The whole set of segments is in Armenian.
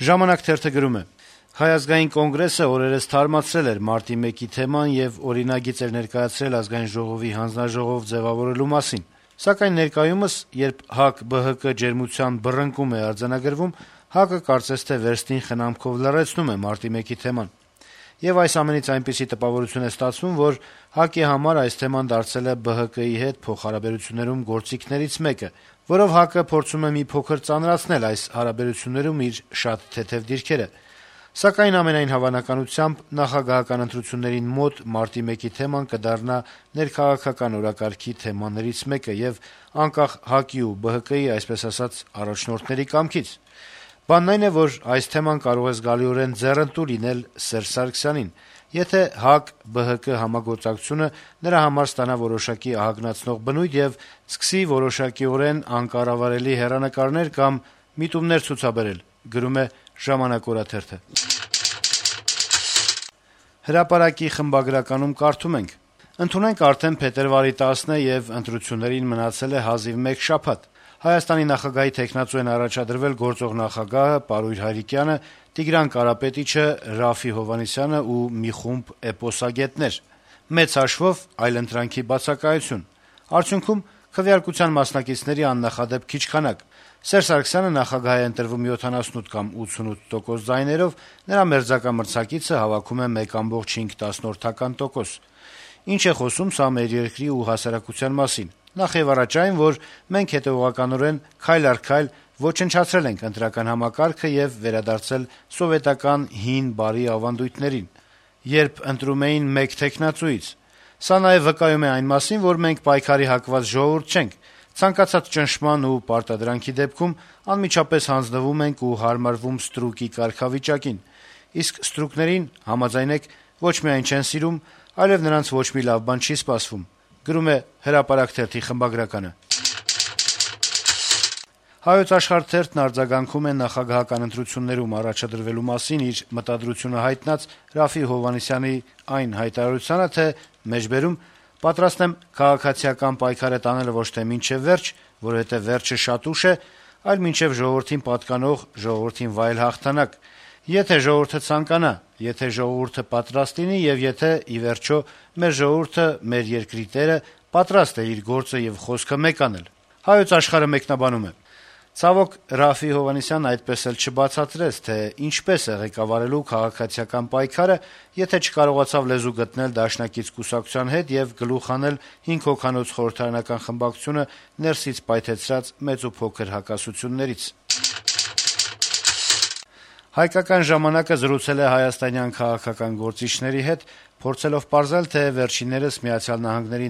Ժամանակ թերթը գրում է. - Հայ ազգային կոնգրեսը օրերս թարմացրել էր մարտի 1-ի թեման եւ օրինագիծ էր ներկայացրել Ազգային ժողովի հանձնաժողով ձեւավորելու մասին: Սակայն ներկայումս, երբ ՀԱԿ-ԲՀԿ ջերմության բռնկում է արձանագրվում, ՀԱԿ-ը կարծես թե վերստին խնամքով լռեցնում է մարտի 1-ի թեման: Եվ այս ամենից այնպիսի տպավորություն է ստացվում, որ ՀԱԿ-ի համար այս թեման դարձել է ԲՀԿ-ի հետ փոխհարաբերություններում գործիքներից մեկը, որով ՀԱԿ-ը փորձում է մի փոքր ծանրացնել այս հարաբերություններում իր շատ թեթեւ դիրքերը: Սակայն ամենայն հավանականությամբ նախագահական ընտրություններին մոտ մարտի 1-ի թեման կդառնա ներքաղաքական օրակարգի թեմաներից մեկը եւ անկախ ՀԱԿ-ի ու ԲՀԿ-ի, այսպես ասած, առաջնորդների կամքից: Բանն այն է, որ այս թեման կարող է զգալիորեն ձեռնտու լինել Սերժ Սարգսյանին, եթե ՀԱԿ-ԲՀԿ համագործակցությունը նրա համար ստանա որոշակի ահագնացնող բնույթ եւ սկսի որոշակիորեն անկառավարելի հեռանկարներ կամ միտումներ ցուցաբերել: «Հրապարակ»-ի խմբագրականում կարդում ենք. - «Ընդունենք արդեն փետրվարի 10-ը եւ ընտրություններին մնացել է հազիվ մեկ շաբաթ: Հայաստանի նախագահի թեկնածու են առաջադրվել գործող նախագահը Պարույր Հայրիկյանը, Տիգրան Կարապետիչը, Րաֆֆի Հովհաննիսյանը ու մի խումբ էպոսագետներ: Մեծ հաշվով այլընտրանքի բացակայություն: Արդյունքում քվեարկության մասնակիցների աննախադեպ քիչ քանակ: Սերժ Սարգսյանը նախագահ է ընտրվում 78 կամ 88% ձայներով, նրա մերձակա մրցակիցը հավաքում է 1,5%: Ինչ է խոսում սա մեր երկրի ու հասարակության մասին: Նախեւառաջ այն, որ մենք հետեւողականորեն, քայլ առ քայլ ոչնչացրել ենք ընտրական համակարգը եւ վերադարձել սովետական հին բարի ավանդույթներին, երբ ընտրում էին մեկ թեկնածուից: Սա նաեւ վկայում է այն մասին, որ մենք պայքարի հակված ժողովուրդ չենք: Ցանկացած ճնշման ու պարտադրանքի դեպքում անմիջապես հանձնվում ենք ու հարմարվում ստրուկի կարգավիճակին: Իսկ ստրուկներին, համաձայնեք, ոչ միայն չեն սիրում, այլեւ նրանց ոչ մի լավ բան չի սպասվում»: «Հայոց Աշխարհ» թերթն արձագանքում է նախագահական ընտրություններում առաջադրվելու մասին իր մտադրությունը հայտնած Րաֆֆի Հովհաննիսյանի այն հայտարարությանը, թե «Պատրաստ եմ քաղաքացիական պայքարը տանել ոչ թե մինչեւ վերջ, որովհետեւ վերջը շատ ուշ է, այլ մինչեւ ժողովրդին պատկանող, ժողովրդին վայել հաղթանակ: Եթե ժողովուրդը ցանկանա, եթե ժողովուրդը պատրաստ լինի եւ եթե, ի վերջո, մեր ժողովուրդը, մեր երկրի տերը պատրաստ է իր գործը եւ խոսքը մեկ անել»: Մեկնաբանում է. - «Ցավոք, Րաֆֆի Հովհաննիսյանն այդպես էլ չբացատրեց, թե ինչպես է ղեկավարելու քաղաքացիական պայքարը, եթե չկարողացավ լեզու գտնել դաշնակից կուսակցության հետ եւ գլուխ հանել 5 հոգանոց խորհրդարանական խմբակցությունը ներսից պայթեցրած մեծ ու փոքր հակասություններից»: «Հայկական ժամանակ»-ը զրուցել է հայաստանյան քաղաքական գործիչների հետ, փորձելով պարզել, թե վերջիններս ԱՄՆ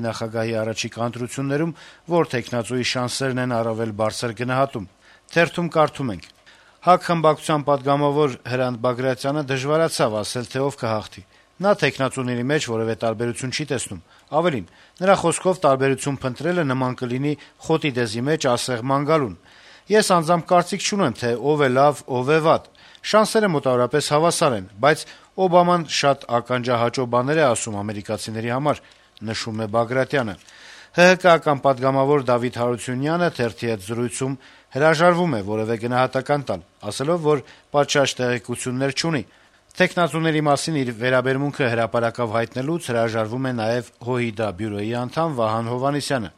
նախագահի առաջիկա ընտրություններում որ թեկնածուի շանսերն են առավել բարձր գնահատում: Թերթում կարդում ենք. - «ՀԱԿ խմբակցության պատգամավոր Հրանտ Բագրատյանը դժվարացավ ասել, թե ով կհաղթի: Նա թեկնածուների մեջ որեւէ տարբերություն չի տեսնում: Ավելին, նրա խոսքով տարբերություն փնտրելը նման կլինի խոտի դեզի մեջ ասեղ ման գալուն: Ես անձամբ կարծիք չունեմ, թե ով է լավ, ով է վատ: Շանսերը մոտավորապես հավասար են, բայց Օբաման շատ ականջահաճո բաներ է ասում ամերիկացիների համար»: ՀՀԿ-ական պատգամավոր Դավիթ Հարությունյանը թերթի հետ զրույցում հրաժարվում է որեւէ գնահատական տալ, ասելով, որ պատշաճ տեղեկություններ չունի: Թեկնածուների մասին իր վերաբերմունքը հրապարակավ հայտնելուց հրաժարվում է նաեւ ՀՅԴ բյուրոյի անդամ Վահան Հովհաննիսյանը: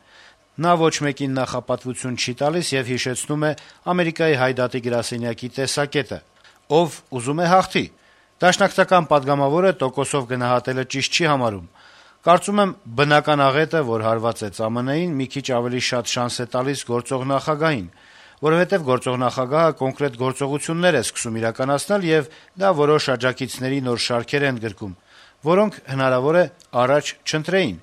Նա ոչ մեկին նախապատվություն չի տալիս եւ հիշեցնում է Ամերիկայի հայդատի գրասենյակի տեսակետը. «Ով ուզում է հաղթի»: Դաշնակցական պատգամավորը տոկոսով գնահատելը ճիշտ չի համարում. «Կարծում եմ, բնական աղետը, որ հարված է ԾԱՄՆ-ին, մի քիչ ավելի շատ շանս է տալիս գործող նախագահին, որովհետեւ գործող նախագահը կոնկրետ գործողություններ է սկսում իրականացնել, եւ դա որոշ աջակիցների նոր շարքեր է ընդգրկում, որոնք, հնարավոր է, առաջ չընտրեին»: